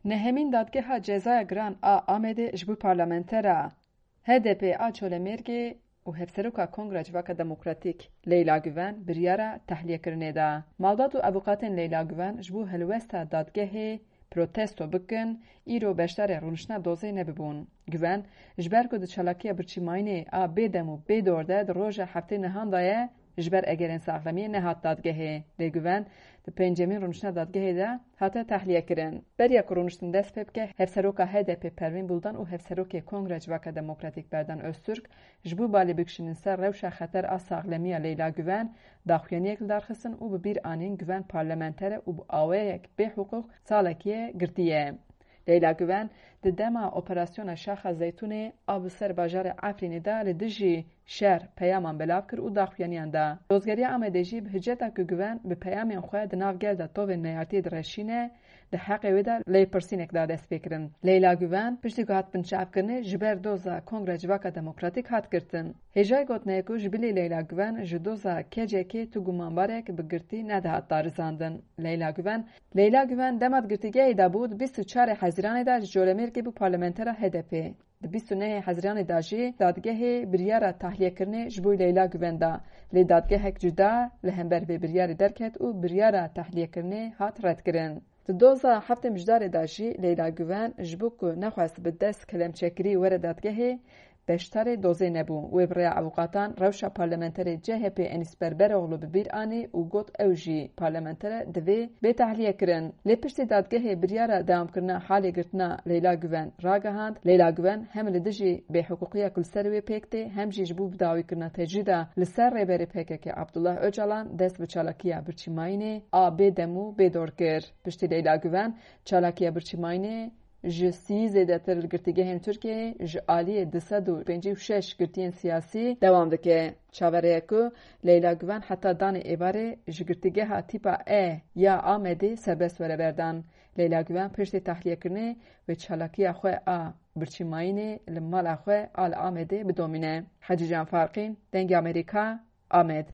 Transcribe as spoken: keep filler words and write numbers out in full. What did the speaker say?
Nehemîn Dadgeha Cezaya Giran a Amedê ji bo parlamentera H D P a Colemêrgê û Hevseroka Kongra Civaka Demokratîk Leyla Guven biryara tehliyekirinê da. Malbat û avûkatên Leyla Guven ji bo helwesta dadgehê protesto bikin, îro beşdarê rûniştina dozê nebibûn. Guven, ji ber ku di çalakiya birçîmayînê a bêdem û bêdor de di roja heftê nihan de ye, ji ber egerên saxlemiyê nehat dadgehê. Lê Guven di pêncemîn rûniştina dadgehê de hate tehliyekirin. Beriya ku rûniştin dest pê bike, Hevseroka H D P Pervîn Buldan û Hevserokê Kongra Civaka Demokratîk Berdan Öztürk ji bo balê bikişînin ser rewşa xeter a saxlemiya Leyla Guven, daxuyaniyek li dar xistin û bi bîr anîn Guven parlamenter e û bi awayek bêhiqûq salekî ye girtî ye. Leyla Guven di dema operasyona Şaxa Zeytûnê a bi ser bajarê Efrînê de li dijî şer peyaman belav kir û daxuyaniyan da. Dozgeriya Amedê jî bi hiceta ku Guven bi peyamên xwe di nav gel de tovên neyartiyê direşîne, di heqê wê de lêpirsînek da destpêkirin. Leyla Guven piştî ku hat binçavkirinê ji ber doza Kongra Civaka Demokratîk hat girtin. Hêjayî gotinê ye ku ji bilî Leyla Guven ji doza K C K tu gumanbarek bi girtî nedihat darizandin. Leyla Guven, Leyla Guven dema di girtîgehê de bû, di bîst û çarê Hezîranê de ji Colemêrgê bû parlamentera H D P. Di bîst û nehê Hezîranê de jî dadgehê biryara tahliyekirinê ji bo Leyla Guven da. Lê dadgehek cuda li hember vê biryarê derket û biryara tahliyekirinê hat redkirin. Di doza heftê Mijdarê de jî Leyla Guven ji bo ku nexwest bi dest kelemçekirî were dadgehê, beşdarê dozê nebû. Wê bi rêya avûkatan rewşa parlamenterê C H P Enîs Berberoğlu bi bîr anî û got ew jî parlamenter e, divê bê tehliyekirin. Lê piştî dadgehê biryara dewamkirina halê girtina Leyla Guven ragihand, Leyla Guven hem li dijî bêhiqûqiya ku li ser wê pêk tê, hem jî ji bo bidawîkirina tecrîda li ser rêberê P K K Abdullah Ocalan dest bi çalakiya birçîmayînê a bêdem û bêdor kir. Piştî Leyla Guven çalakiya birçîmayînê ji sî zêdetir li girtîgehên Tirkiyeyê ji aliyê du sed û pêncî û şeş girtiyên siyasî dewam dike. Çaverê ye ku Leyla Guven heta danê êvarê ji girtîgeha tîpa E ya Amedê serbest were berdan. Leyla Guven piştî tahliyekirinê wê çalakiya xwe a birçîmayînê li mala xwe a li Amedê bidomîne. Hecîcan Farqîn, Dengê Amerîka, Amed.